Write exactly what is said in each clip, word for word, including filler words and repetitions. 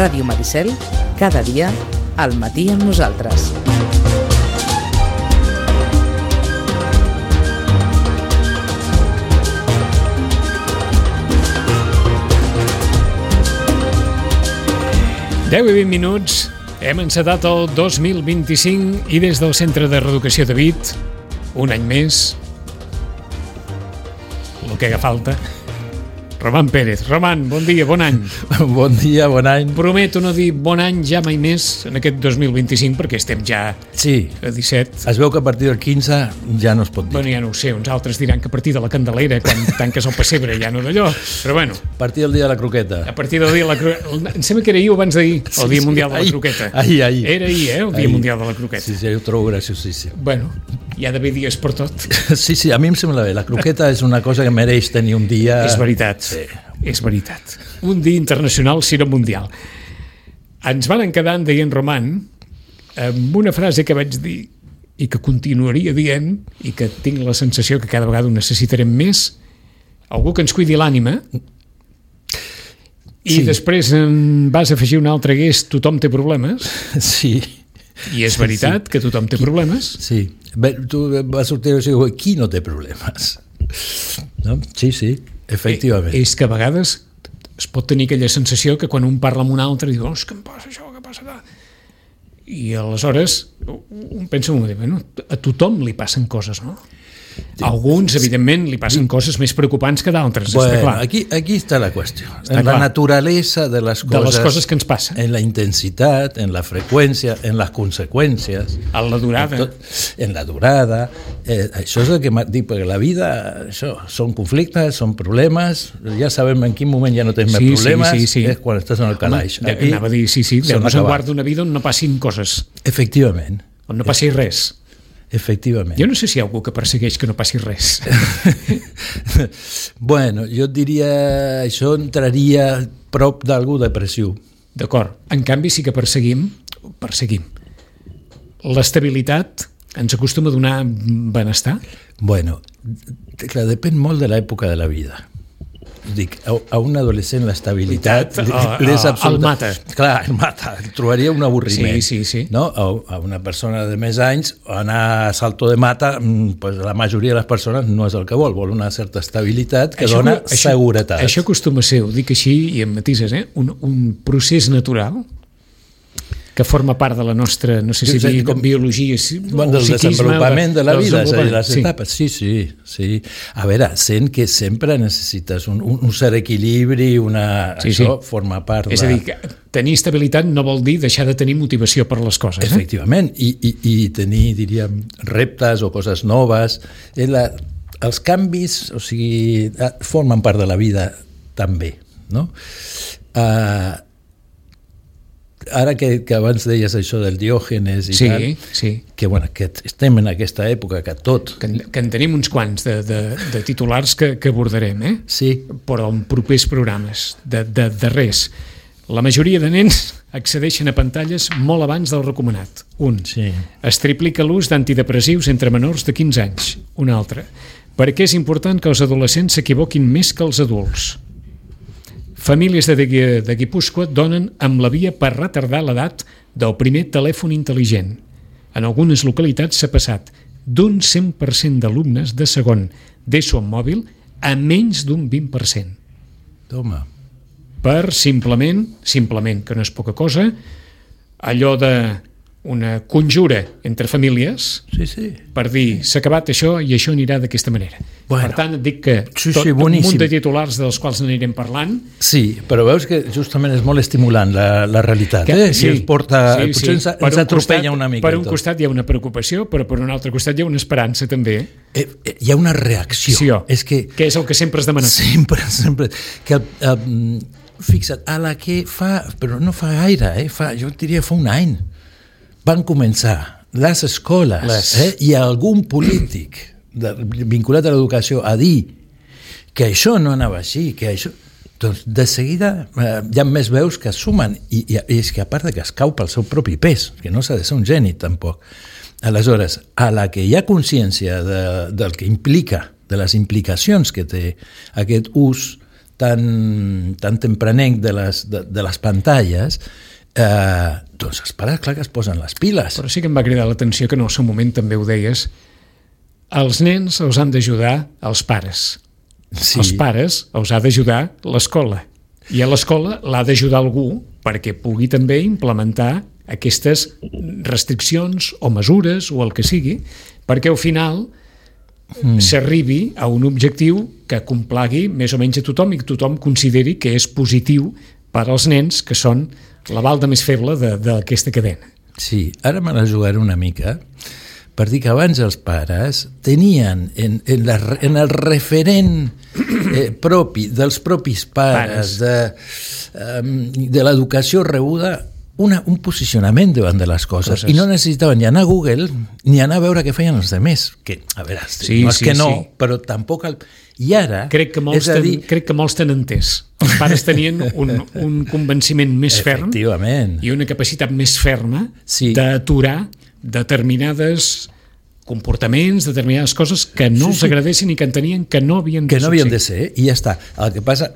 Ràdio Maricel, cada dia, al matí amb nosaltres. deu i vint minuts, hem encetat el dos mil vint-i-cinc i des del Centre de Reeducació David, un any més, el que haga falta. Roman Pérez. Roman, bon dia, bon any. Bon dia, bon any. Prometo no dir bon any ja mai més en aquest dos mil vint-i-cinc perquè estem ja sí. a disset. Es veu que a partir del quinze ja no es pot dir. Bueno, ja no ho sé, uns altres diran que a partir de la Candelera, quan tanques el pessebre, ja no d'allò, però bueno. A partir del dia de la croqueta. A partir del dia de la croqueta. Em sembla que era ahir o abans d'ahir, el sí, Dia sí, Mundial de la ahir, Croqueta. Ahir, ahir. Era ahir, eh, el Dia ahir. Mundial de la Croqueta. Sí, sí, ho trobo graciosíssim. Bueno, hi ha d'haver dies per tot. Sí, sí, a mi em sembla bé. La croqueta és una cosa que mereix tenir un dia... És veritat. Sí. És veritat. Un dia internacional, si no mundial. Ens van quedar, en deien Roman, amb una frase que vaig dir i que continuaria dient i que tinc la sensació que cada vegada ho necessitarem més, algú que ens cuidi l'ànima, i sí. Després en vas afegir un altre que és tothom té problemes. Sí. I és veritat sí, sí. que tothom té problemes. Sí. Bé, tu vas sortir i dir, qui no té problemes? No? Sí, sí. Efectivament. És que a vegades es pot tenir aquella sensació que quan un parla amb un altre diu, oh, és que em passa això, què passa? I aleshores un pensa, bueno, a tothom li passen coses, no? A alguns, evidentment, li passen coses més preocupants que d'altres, bueno, està clar. Aquí, aquí està la qüestió. Està en clar. La naturalesa de les coses... De les coses que ens passen. En la intensitat, en la freqüència, en les conseqüències. En la durada. En, tot, en la durada. Eh, això és el que dic, perquè la vida, això, són conflictes, són problemes, ja sabem en quin moment ja no tens sí, més problemes, sí, sí, sí. És quan estàs en el calaix. Home, aquí, anava a dir, sí, sí, Déu-nos en guarda una vida on no passin coses. Efectivament. On no passi res. Efectivament. Jo no sé si hi ha algú que persegueix que no passi res. Bueno, jo diria això entraria prop d'algú depressiu. D'acord. En canvi sí que perseguim, perseguim. L'estabilitat ens acostuma a donar benestar? Bueno, clar, depèn molt de l'època de la vida. Dic, a, a un adolescent l'estabilitat l'és absoluta. El mata. Clar, el mata, trobaria un avorriment. Sí, sí, sí. No? A, a una persona de més anys, anar a salto de mata, pues la majoria de les persones no és el que vol, vol una certa estabilitat que això, dona això, seguretat. Això acostuma a ser, ho dic així i amb matises, eh? un, un procés natural que forma part de la nostra, no sé si sí, dir, com biologia bon, del desenvolupament de la vida, de les sí. etapes. Sí, sí, sí. A veure, sent que sempre necessites un, un, un cert equilibri, una... Sí, això sí. forma part de... És a dir, que tenir estabilitat no vol dir deixar de tenir motivació per les coses. Efectivament, eh? I, i, i tenir, diríem, reptes o coses noves. La, els canvis, o sigui, formen part de la vida també, no? Uh, Ara que, que abans deies això del Diògenes i sí, tal, sí. que, bueno, que estem en aquesta època que tot... Que, que en tenim uns quants de, de, de titulars que, que abordarem, eh? Sí. Però en propers programes, de, de, de res. La majoria de nens accedeixen a pantalles molt abans del recomanat. Un. Sí. Es triplica l'ús d'antidepressius entre menors de quinze anys. Un altre. Per què és important que els adolescents s'equivoquin més que els adults? Famílies de, de Guipúscoa donen amb la via per retardar l'edat del primer telèfon intel·ligent. En algunes localitats s'ha passat d'un cent per cent d'alumnes de segon d'ESO amb mòbil a menys d'un vint per cent. Toma. Per simplement, simplement, que no és poca cosa, allò de una conjura entre famílies sí, sí. per dir s'ha acabat això i això anirà d'aquesta manera. Bueno, per tant, et dic que sí, tot sí, un munt de titulars dels quals n'anirem parlant. Sí, però veus que justament és molt estimulant la, la realitat. Que, eh? sí, I ens porta, sí, potser sí. ens, ens atropella una mica. Per un tot. Costat hi ha una preocupació, però per un altre costat hi ha una esperança també. Eh, eh, hi ha una reacció. Sí, oh. És que, que és el que sempre has demanat. Sempre, sempre. Que, um, fixa't, a la que fa, però no fa gaire, eh? fa, jo diria fa un any, van començar les escoles les... Eh, i algun polític de, vinculat a l'educació a dir que això no anava així, que això... Doncs de seguida eh, hi ha més veus que es sumen i, i, i és que a part de que es cau pel seu propi pes, que no s'ha de ser un geni tampoc. Aleshores, a la que hi ha consciència de, del que implica, de les implicacions que té aquest ús tan, tan tempranenc de les, de, de les pantalles, eh, doncs els pares, clar que es posen les piles. Però sí que em va cridar l'atenció que en el seu moment també ho deies, els nens els han d'ajudar els pares. Sí. Els pares els ha d'ajudar l'escola. I a l'escola l'ha d'ajudar algú perquè pugui també implementar aquestes restriccions o mesures o el que sigui, perquè al final mm. s'arribi a un objectiu que complagui més o menys a tothom i que tothom consideri que és positiu per als nens, que són la balda més feble d'aquesta cadena. Sí, ara me la jugaré una mica per dir que abans els pares tenien en, en, la, en el referent eh, propi dels propis pares, pares. de, um, de l'educació rebuda, Una, un posicionament davant de les coses. coses i no necessitaven ni anar a Google ni anar a veure què feien els altres, que a veure, sí, no és sí, que no, sí. però tampoc el... i ara crec que molts, ten, dir... crec que molts t'han entès. Els pares tenien un, un convenciment més ferm i una capacitat més ferma sí. d'aturar determinades comportaments, determinades coses que no sí, els agradessin sí. i que entenien que no havien de que no havien de ser, i ja està. El que passa,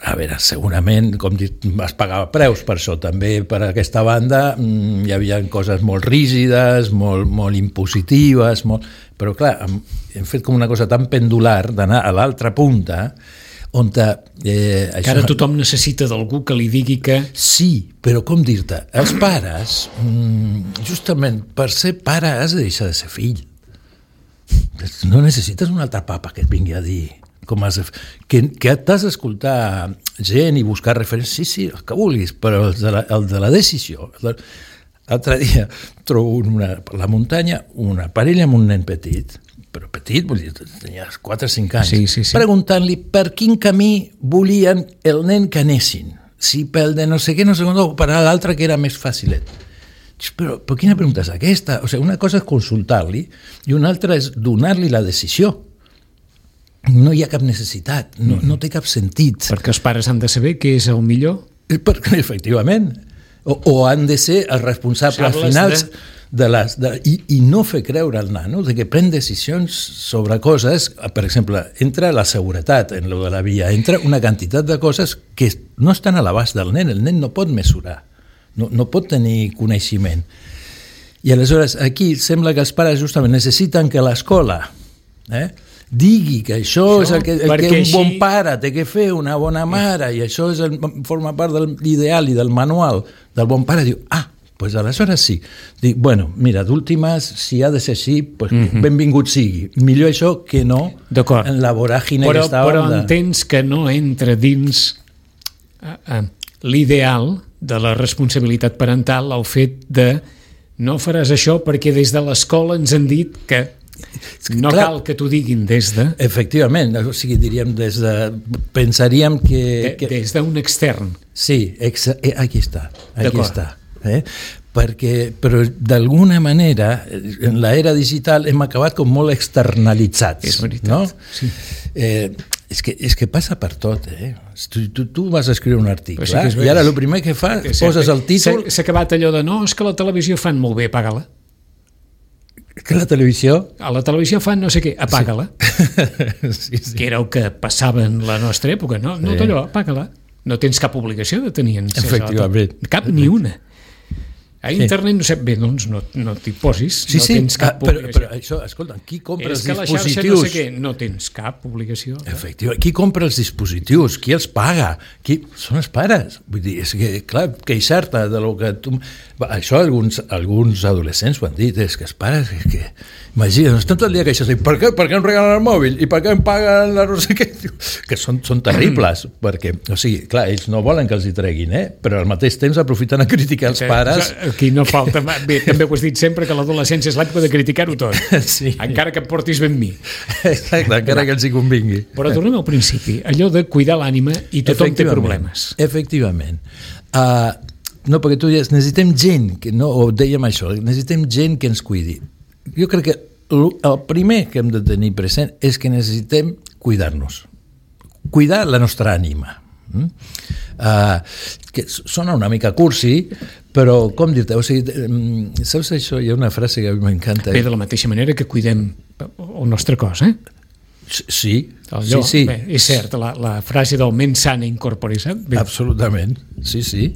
a veure, segurament, com dit, es pagava preus per això, també per aquesta banda mmm, hi havia coses molt rígides, molt, molt impositives, molt... però clar, hem, hem fet com una cosa tan pendular d'anar a l'altra punta, on eh, això... que ara tothom necessita d'algú que li digui que... Sí, però com dir-te, els pares, mmm, justament per ser pare has de deixar de ser fill. No necessites un altre papa que et vingui a dir com has de... que, que t'has d'escoltar gent i buscar referències, sí, sí, el que vulguis, però el de la, el de la decisió. L'altre dia trobo una, per la muntanya una parella amb un nen petit, però petit, vull dir, tenia quatre o cinc anys, sí, sí, sí. preguntant-li per quin camí volien el nen que anessin, si pel de no sé què, no sé com, o per l'altre que era més facilet. Però, però quina pregunta és aquesta? O sigui, una cosa és consultar-li i una altra és donar-li la decisió. No hi ha cap necessitat, no, no té cap sentit. Perquè els pares han de saber què és el millor? Perquè, efectivament. O, o han de ser els responsables si finals de... de les... De, i, I no fer creure al nano de que pren decisions sobre coses, per exemple, entra la seguretat en lo de la via, entra una quantitat de coses que no estan a l'abast del nen, el nen no pot mesurar. No, no pot tenir coneixement. I aleshores aquí sembla que els pares justament necessiten que l'escola eh, digui que això, això és el que, el que un així... bon pare té que fer, una bona mare, i això és el, forma part de l'ideal i del manual del bon pare. Diu, ah, doncs aleshores sí. Dic, bueno, mira, d'últimes, si ha de ser així, pues, mm-hmm. benvingut sigui. Millor això que no en la voràgine però, que estava... Però de... entens que no entra dins uh, uh, l'ideal de la responsabilitat parental el fet de no faràs això perquè des de l'escola ens han dit que no Clar, cal que t'ho diguin des de... Efectivament, o sigui, diríem des de... Pensaríem que... De, que... Des d'un extern. Sí, ex... eh, aquí està, aquí està. Eh? Perquè, però d'alguna manera, en l'era digital hem acabat com molt externalitzats. És veritat, no? Sí. Eh, és, que, és que passa per tot, eh? Tu, tu, tu vas escriure un article, sí eh? i ara el primer que fa, sí, poses el títol... S'ha acabat allò de, no, és que la televisió fan molt bé, apaga-la. Que la televisió... A la televisió fan no sé què, apaga-la. Sí. sí, sí. Que era el que passava en la nostra època, no? No sí. D'allò, apaga-la. No tens cap obligació de tenir encès. Efectivament. Cap ni una. A internet no sé, bé, doncs no, no t'hi posis, sí, no sí. tens cap ah, però, obligació. Però això, escolta, qui compra és els que dispositius... La xarxa no sé què, no tens cap obligació. Efectivament, qui compra els dispositius, qui els paga, qui... són els pares. Vull dir, és que, clar, queixar-te de lo que tu... Això alguns, alguns adolescents ho han dit, és que els pares, és que... Imagina, estan tot el dia queixant, per què, per què em regalen el mòbil? I per què em paguen la no sé què? Que són, són terribles, perquè, o sigui, clar, ells no volen que els hi treguin, eh? Però al mateix temps aprofiten a criticar els pares. Aquí no falta... Bé, també ho has dit sempre, que l'adolescència és l'època de criticar-ho tot. Sí. Encara que em portis ben mi. Exacte, encara que els hi convingui. Però tornem al principi, allò de cuidar l'ànima i tothom té problemes. Efectivament. Uh, no, perquè tu dius, necessitem gent, que no, o dèiem això, necessitem gent que ens cuidi. Jo crec que el primer que hem de tenir present és que necessitem cuidar-nos. Cuidar la nostra ànima. Mm? Uh, que sona una mica cursi, però com dir-te, o sigui, saps això? Hi ha una frase que a mi m'encanta. Bé, de la mateixa manera que cuidem el nostre cos, eh? Sí, Allò, sí, sí. Bé, és cert, la, la frase del mens sana incorpore, saps? Bé. Absolutament, sí, sí.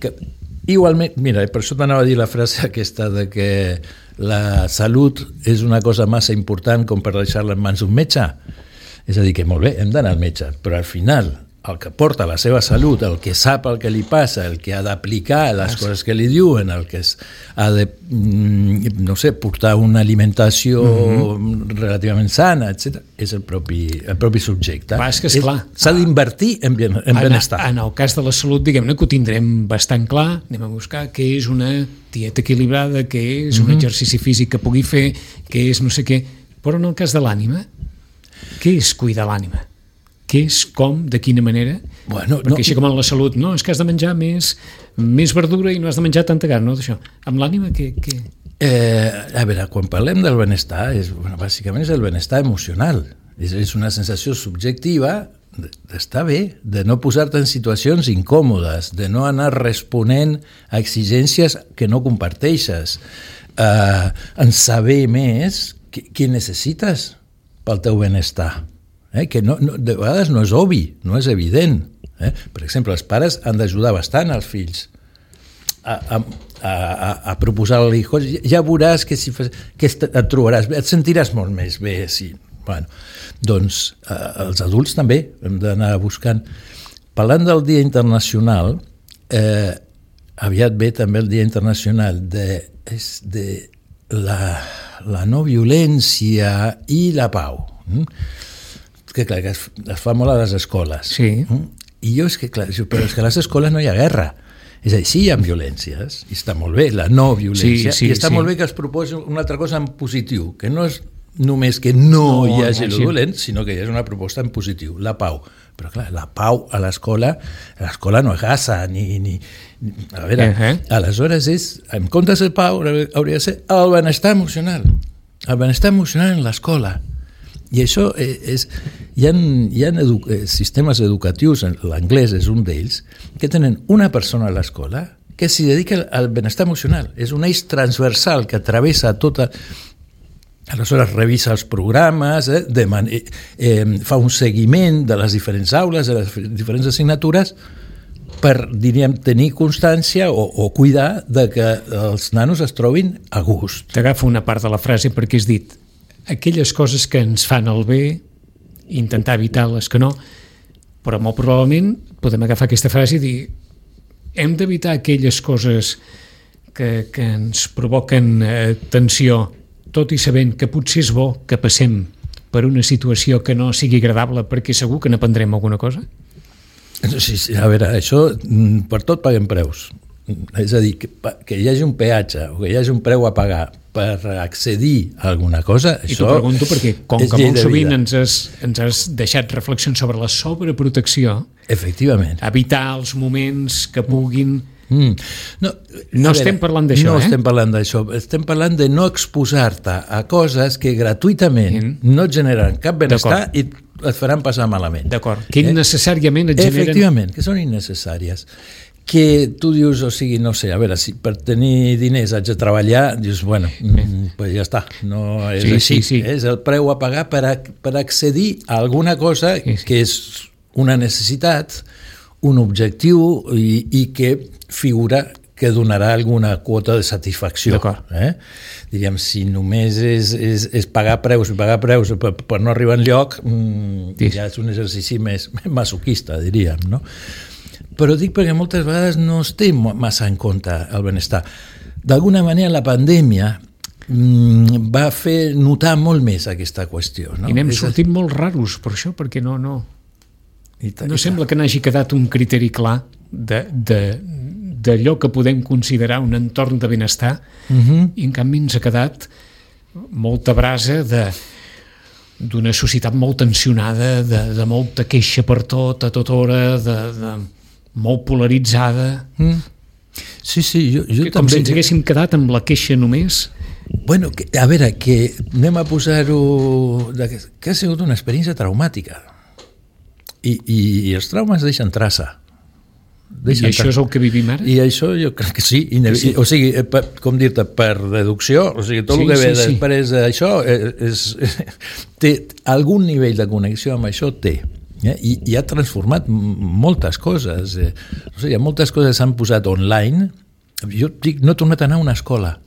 Que, igualment, mira, per això t'anava a dir la frase aquesta de que la salut és una cosa massa important com per deixar-la en mans d'un metge. És a dir, que molt bé, hem d'anar al metge, però al final el que porta la seva salut, el que sap el que li passa, el que ha d'aplicar les ah, coses que li diuen, el que es, ha de, no sé, portar una alimentació mm-hmm. relativament sana, etcètera, és el propi, el propi subjecte. Va, és que esclar. S'ha d'invertir en, ben, en benestar. En, en el cas de la salut, diguem-ne que ho tindrem bastant clar, anem a buscar què és una dieta equilibrada, què és mm-hmm. un exercici físic que pugui fer, què és no sé què, però en el cas de l'ànima, què és cuidar l'ànima? Què és, com, de quina manera? Bueno, perquè no, així com en la salut, no, és que has de menjar més, més verdura i no has de menjar tanta carn, no, d'això. Amb l'ànima, què? què? Eh, a veure, quan parlem del benestar, és, bueno, bàsicament és el benestar emocional. És, és una sensació subjectiva d'estar bé, de no posar-te en situacions incòmodes, de no anar responent a exigències que no comparteixes, eh, en saber més què, què necessites pel teu benestar. Eh, que no, no, de vegades no és obvi, no és evident. Eh? Per exemple, els pares han d'ajudar bastant als fills a, a, a, a proposar-li coses. Ja veuràs que, si fas, que et trobaràs bé, et sentiràs molt més bé. Sí. Bueno, doncs eh, els adults també hem d'anar buscant. Parlant del Dia Internacional, eh, aviat ve també el Dia Internacional de, és de la, la no violència i la pau. Mm? Que clar, que es, es fa molt a les escoles. Sí. I jo és que, clar, però és que a les escoles no hi ha guerra. És a dir, sí hi ha violències, i està molt bé, la no violència, sí, sí, i està sí. molt bé que es proposi una altra cosa en positiu, que no és només que no, no hi hagi el violent, sinó que hi ha una proposta en positiu, la pau. Però clar, la pau a l'escola, a l'escola no és Gaza, ni... ni a veure, uh-huh. aleshores és, en comptes de pau, hauria de ser el benestar emocional. El benestar emocional en l'escola. I això és... Hi ha, hi ha edu, sistemes educatius, l'anglès és un d'ells, que tenen una persona a l'escola que s'hi dedica al benestar emocional. És un eix transversal que travessa tota... Aleshores revisa els programes, eh, deman, eh, eh, fa un seguiment de les diferents aules, de les diferents assignatures, per, diríem, tenir constància o, o cuidar de que els nanos es trobin a gust. T'agafo una part de la frase perquè has dit aquelles coses que ens fan el bé, intentar evitar les que no, però molt probablement podem agafar aquesta frase i dir hem d'evitar aquelles coses que, que ens provoquen eh, tensió, tot i sabent que potser és bo que passem per una situació que no sigui agradable perquè segur que n'aprendrem alguna cosa? Sí, sí, a veure, això per tot paguem preus. És a dir, que, que hi hagi un peatge o que hi hagi un preu a pagar per accedir a alguna cosa, I això t'ho pregunto perquè, com que molt sovint ens has, ens has deixat reflexions sobre la sobreprotecció, efectivament, evitar els moments que puguin... Mm. No, no estem veure, parlant d'això, no eh? No estem parlant d'això, estem parlant de no exposar-te a coses que gratuïtament mm. no et generen cap benestar i et faran passar malament. D'acord, que innecessàriament et generen... Efectivament, que són innecessàries. Que tu dius, o sigui, no sé, a veure, si per tenir diners haig de treballar, dius, bueno, mm, pues ja està, no és sí, així, sí, sí. És el preu a pagar per, a, per accedir a alguna cosa sí, sí. que és una necessitat, un objectiu i, i que figura que donarà alguna quota de satisfacció. Eh? Diríem, si només és, és, és pagar preus i pagar preus per, per no arribar enlloc, mm, sí. ja és un exercici més masoquista, diríem, no? Però dic perquè moltes vegades no es té massa en compte el benestar. D'alguna manera la pandèmia mmm, va fer notar molt més aquesta qüestió. No? I n'hem sortit a... molt raros per això, perquè no, no, ta, no sembla que n'hagi quedat un criteri clar de, de, d'allò que podem considerar un entorn de benestar, uh-huh. i en canvi ens ha quedat molta brasa de d'una societat molt tensionada, de, de molta queixa per tot, a tota hora, de... de molt polaritzada. Mm. Sí, sí, jo, jo que, també... Com si ens haguéssim quedat amb la queixa només. Bueno, que, a veure, que anem a posar-ho... que ha sigut una experiència traumàtica. I, i, i els traumes deixen traça. I això és el que vivim ara? I això jo crec que sí. I, sí. O sigui, per, com dir-te, per deducció, o sigui, tot sí, el que ve sí, després sí. d'això és, és, té algun nivell de connexió amb això, té. Eh? I, i ha transformat moltes coses. Eh? O sigui, moltes coses s'han posat online. Jo dic, no he tornat a anar a una escola.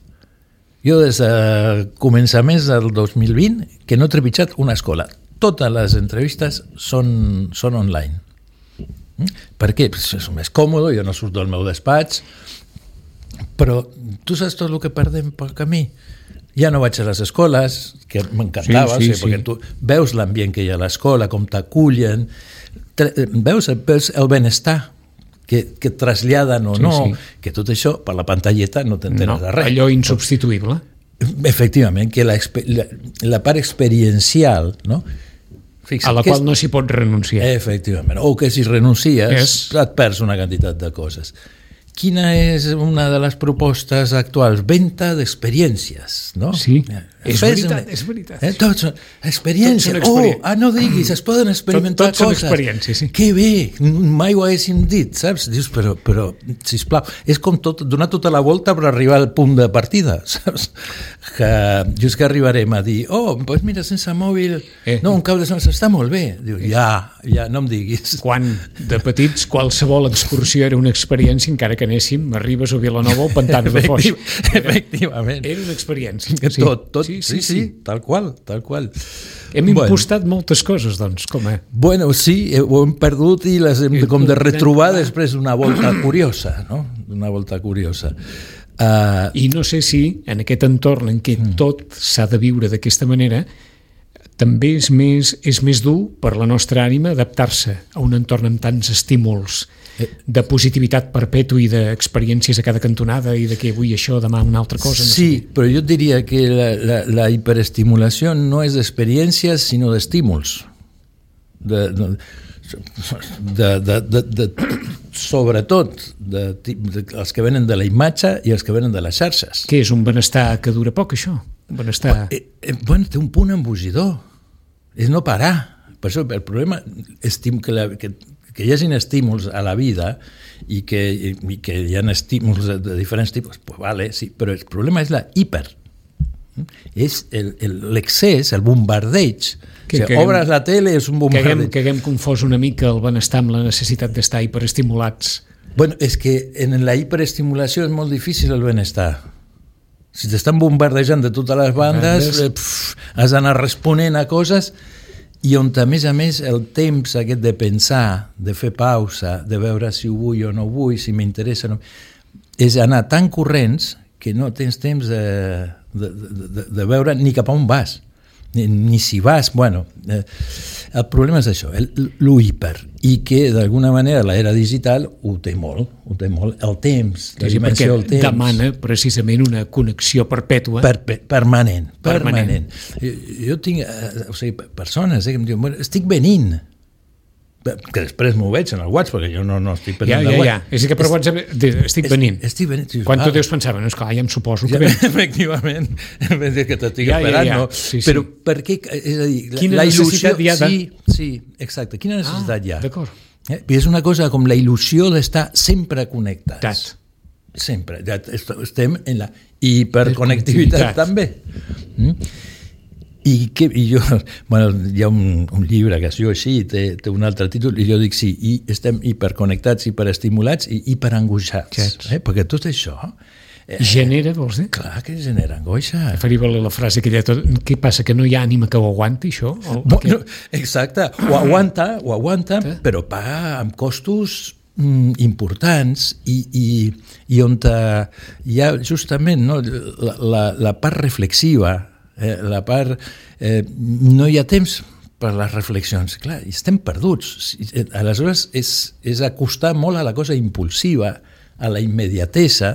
Jo des de començaments del dos mil vint que no he trepitjat una escola. Totes les entrevistes són, són online. Per què? Pues és més còmode, jo no surto del meu despatx, però tu saps tot el que perdem pel camí. Ja no vaig a les escoles, que m'encantava, sí, sí, o sigui, sí. perquè tu veus l'ambient que hi ha a l'escola, com t'acullen, veus, veus el benestar que, que et traslladen o sí, no, sí. que tot això, per la pantalleta, no t'entenes no, de res. Allò insubstituïble. Efectivament, que la, la, la part experiencial, no? Fixa, a la qual és... no s'hi pot renunciar. Efectivament, o que si renuncies és... et perds una quantitat de coses. Quina és una de les propostes actuals? Venta d'experiències, no? Sí, és veritat, és veritat. Eh? Tots són experiències. Tots són experiències. Oh, ah, no diguis, es poden experimentar tot, tot coses. Tots són experiències, sí. Que bé, mai ho haguéssim dit, saps? Dius, però, però sisplau, és com tot, donar tota la volta per arribar al punt de partida, saps? Que just que arribarem a dir, oh, doncs mira, sense mòbil, eh. no, un cap de setmana està molt bé. Diu, ja, ja, no em diguis. Quan de petits qualsevol excursió era una experiència, encara que anéssim a Ribes o Vilanova o Pantans de Foix. Era, efectivament. Era una experiència. Sí. Tot, tot, sí, sí, sí, sí, tal qual, tal qual. Hem bueno. impostat moltes coses, doncs, com eh? Bueno, sí, ho hem perdut i les hem com de retrobar després d'una volta curiosa, no? D'una volta curiosa. Uh, I no sé si en aquest entorn en què mm. tot s'ha de viure d'aquesta manera també és més, és més dur per la nostra ànima adaptar-se a un entorn amb tants estímuls de positivitat perpètua i d'experiències a cada cantonada i de que avui això, demà una altra cosa. No sí, sé. Però jo diria que la, la, la hiperestimulació no és d'experiències sinó d'estímuls. De, de, de, de, de, de, sobretot de, de, els que venen de la imatge i els que venen de les xarxes. Què és un benestar que dura poc, això? Un benestar... Eh, eh, bueno, té un punt embogidor. És no parar. Per això el problema és que, la, que, que hi hagi estímuls a la vida i que, i que hi ha estímuls de, de diferents tipus, pues vale, sí, però el problema és la hiper. És l'excés, el, el bombardeig. Que, o sigui, obres la tele, és un bombardeig. Que haguem, que haguem confós una mica el benestar amb la necessitat d'estar hiperestimulats. Bueno, és que en la hiperestimulació és molt difícil el benestar. Si t'estan bombardejant de totes les bandes, eh, pf, has d'anar responent a coses i on, a més a més, el temps aquest de pensar, de fer pausa, de veure si ho vull o no ho vull, si m'interessa o no... és anar tan corrents que no tens temps de, de, de, de veure ni cap a on vas. Ni, ni si vas, bueno, eh, el problema és això, lo hiper, i que d'alguna manera l'era digital ho té molt, ho té molt, el temps, la sí, dimensió del temps. Demana precisament una connexió perpètua. Per, per, permanent, permanent. permanent. Jo, jo tinc, eh, o sigui, persones eh, que em diuen, bueno, estic venint, que després m'ho veig en el WhatsApp, perquè jo no, no estic venint ja, ja, ja, ja. És que per WhatsApp estic venint. Estic venint. Quan tu deus pensar, bueno, esclar, ja em suposo que ja, vens. Efectivament, en vez de que t'estic ja, esperant, ja, ja. no. Sí, sí. Però per què, és a dir, quina la il·lusió... necessitat hi ha de... Sí, sí, exacte, quina necessitat ah, hi ha? D'acord. Eh? És una cosa com la il·lusió d'estar sempre connectats. Dat. Sempre. Ja estem en la hiperconnectivitat també. Mm? I, que, i jo, bueno, hi ha un, un llibre que es diu així, té, té un altre títol, i jo dic sí, i estem hiperconnectats, hiperestimulats i hiperangoixats, eh? Perquè tot això... Eh, genera, vols dir? Clar que genera angoixa. Faria valer la frase aquella, què passa, que no hi ha ànima que ho aguanti, això? O, bueno, exacte, ho aguanta, ho aguanta, eh? Però paga amb costos mm, importants i, i, i on hi ha justament no, la, la, la part reflexiva, Eh, la part... Eh, no hi ha temps per les reflexions. Clar, estem perduts. Aleshores, és, és acostar molt a la cosa impulsiva, a la immediatesa,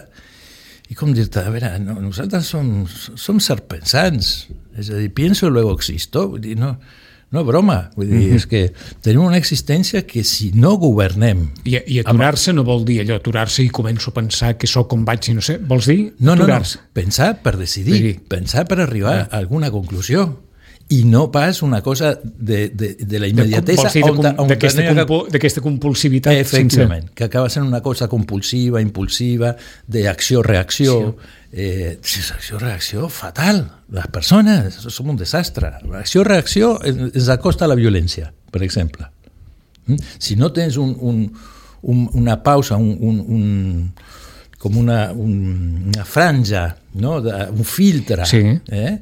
i com dir-te, a veure, no, nosaltres som, som serpensants, és a dir, pienso luego existo, vull dir, no... No, broma, vull dir, mm-hmm. és que tenim una existència que si no governem... I, i aturar-se amb... no vol dir allò, aturar-se i començo a pensar que sóc com vaig i no sé, vols dir no, aturar-se? No, no, pensar per decidir, dir... pensar per arribar ah. a alguna conclusió i no pas una cosa de, de, de la immediatesa d'aquesta compulsivitat efectivament, sense... que acaba sent una cosa compulsiva, impulsiva, d'acció-reacció. Eh, acció-reacció fatal. Les persones som un desastre. L'acció-reacció ens acosta a la violència, per exemple. Si no tens un, un, un, una pausa, un, un, un, com una, un, una franja, no? Un filtre, sí. eh?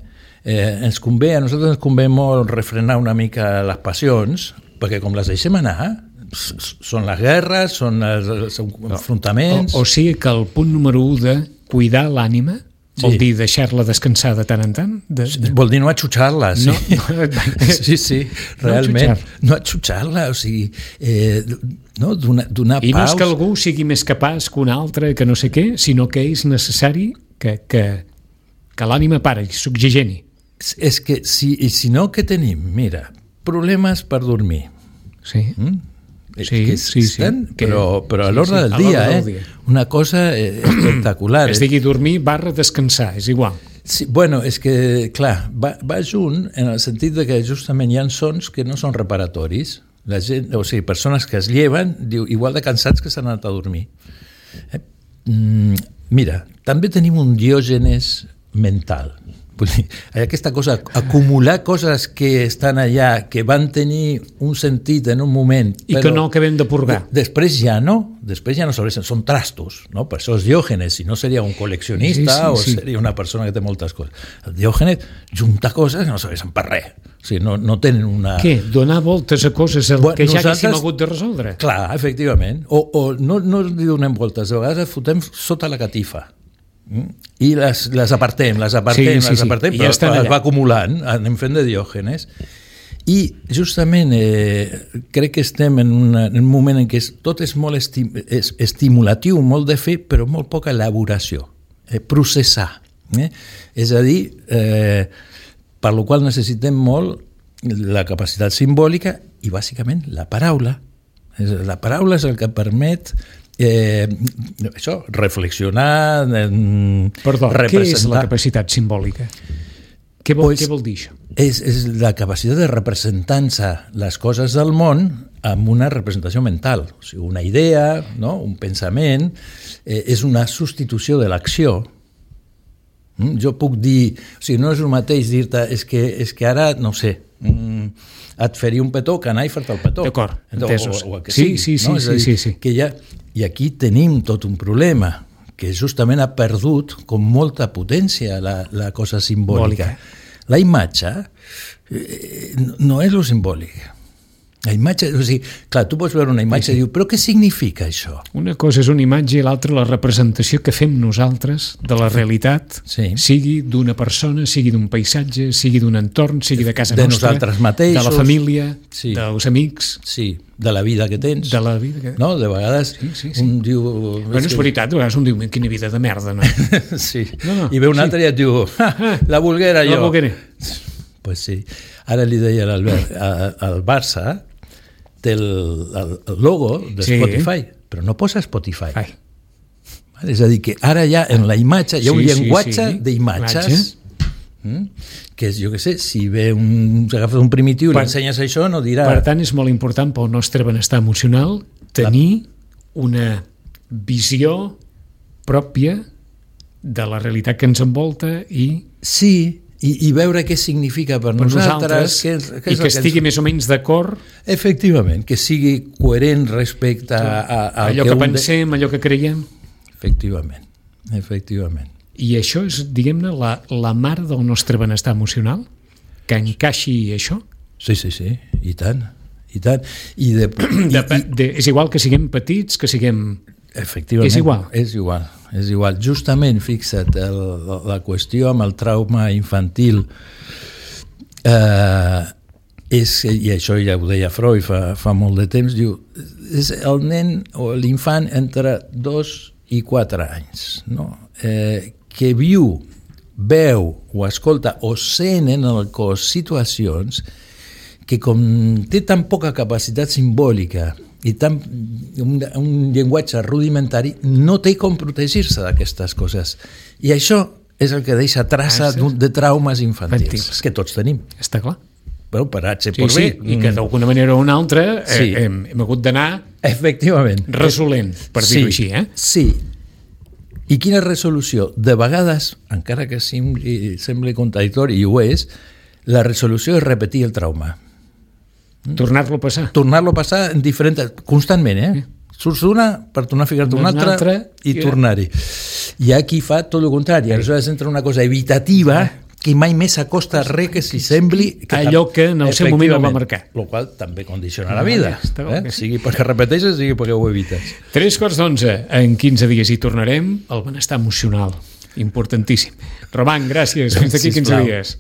Eh, ens convé, a nosaltres ens convé molt refrenar una mica les passions, perquè com les deixem anar, són les guerres, són els, els enfrontaments... O, o sigui que el punt número u de cuidar l'ànima vol sí. dir deixar-la descansar de tant en tant? De, de... Vol dir no atxutxar-la, sí. No, no, sí, sí, realment. No atxutxar-la, o sigui, eh, no, donar, donar I paus... no és que algú sigui més capaç que un altre, que no sé què, sinó que és necessari que, que, que l'ànima pari, s'oxigeni. És que si, si no, què tenim? Mira, problemes per dormir. Sí. Mm? Sí, que sí, existen, sí. Però, però a l'ordre sí, sí. del dia, del eh? dia. Una cosa espectacular. Es digui dormir barra descansar, és igual. Sí, bueno, és que, clar, va, va junt en el sentit de que justament hi ha sons que no són reparatoris. La gent, o sigui, persones que es lleven, diu, igual de cansats que s'han anat a dormir. Eh? Mm, mira, també tenim un diògenes mental. Aquesta cosa, acumular coses que estan allà, que van tenir un sentit en un moment... I que no acabem de purgar. Després ja no, després ja no serveixen, són trastos, no? Per això és Diògenes, si no seria un col·leccionista sí, sí, o sí. seria una persona que té moltes coses. El Diògenes junta coses que no serveixen per res, o sigui, no, no tenen una... Què? Donar voltes a coses bueno, que ja nosaltres... haguéssim hagut de resoldre? Clar, efectivament. O, o no, no li donem voltes, de vegades fotem sota la catifa. I les, les apartem, les apartem, sí, sí, les apartem, sí. Però ja es va acumulant, anem fent de Diògenes. I justament eh, crec que estem en, una, en un moment en què tot és molt esti, és estimulatiu, molt de fer, però molt poca elaboració, eh, processar. Eh? És a dir, eh, per la qual necessitem molt la capacitat simbòlica i bàsicament la paraula. La paraula és el que permet Eh, això, reflexionar, eh, Perdó, representar. Què és la capacitat simbòlica? Què vol, pues, què vol dir això? És, és la capacitat de representar-se les coses del món amb una representació mental, o sigui, una idea, no? Un pensament, eh, és una substitució de l'acció. Mm? Jo puc dir, o sigui, no és el mateix dir-te, és que, és que ara, no sé, mm, et faria un petó que anar i fer-te el petó. D'acord, entesos. O, o, o sí, sigui, sí, sí, no? sí, dir, sí, sí. Que ja, I aquí tenim tot un problema, que justament ha perdut com molta potència la, la cosa simbòlica. Simbòlica. La imatge eh, no és lo simbòlic. La imatge, o sigui, clar, tu pots veure una imatge sí, sí. i diu, però què significa això? Una cosa és una imatge i l'altra la representació que fem nosaltres de la realitat, sí. sigui d'una persona, sigui d'un paisatge, sigui d'un entorn, sigui de casa de nostra, nosaltres mateixos, de la família, sí. dels amics... Sí, de la vida que tens. De la vida que... No, de vegades sí, sí, sí. un diu... Bueno, és veritat, de vegades un diu, quina vida de merda, no? sí, no, no, i ve un sí. altre i et diu, ah, la volguera jo. La volguera. Pues sí. Ara li deia l'Albert, al Barça té el, el, el logo de sí. Spotify, però no posa Spotify. Ai. És a dir, que ara ja en la imatge hi ha sí, un llenguatge sí, sí. d'imatges mm? que és, jo què sé, si ve un, agafes un primitiu i li ensenyes això, no dirà... Per tant, és molt important pel nostre benestar emocional tenir una visió pròpia de la realitat que ens envolta i... Sí, I, i veure què significa per, per nosaltres, nosaltres què, què i que, que estigui ens... més o menys d'acord, efectivament, que sigui coherent respecte a, a, a allò que, que pensem, de... allò que creiem, efectivament, efectivament. I això és, diguem-ne, la, la mare del nostre benestar emocional, que encaixi això. Sí, sí, sí, i tant, i tant. I de, de, i, de, és igual que siguem petits, que siguem... Efectivament, és igual. És igual, és igual. Justament, fixa't, el, la qüestió amb el trauma infantil eh, és, i això ja ho deia Freud fa, fa molt de temps, diu, és el nen o l'infant entre dos i quatre anys, no? Eh, que viu, veu o escolta o sent en el cos situacions que com té tan poca capacitat simbòlica i tan, un, un llenguatge rudimentari, no té com protegir-se d'aquestes coses. I això és el que deixa traça de traumes infantils, infantils, que tots tenim. Està clar. Però per H sí, por B. Sí, i que d'alguna manera o una altra sí. eh, hem, hem hagut d'anar efectivament resolent, per sí, dir-ho així. Eh? Sí. I quina resolució? De vegades, encara que sembli, sembli contradictori, i ho és, la resolució és repetir el trauma. Tornar-lo a passar. Tornar-lo a passar en diferents... constantment, eh? Surts d'una per tornar a ficar-te una, una altra, altra i yeah. tornar-hi. Hi ha qui fa tot el contrari. Sí. Aleshores entra una cosa evitativa que mai més s'acosta a res que si sembli... Que allò que en el seu moment el va marcar. El qual també condiciona la vida. Eh? Sigui perquè repeteixes, sigui perquè ho evites. Tres quarts d'onze. En quinze dies hi tornarem. El benestar emocional. Importantíssim. Roman, gràcies. Fins d'aquí quinze dies.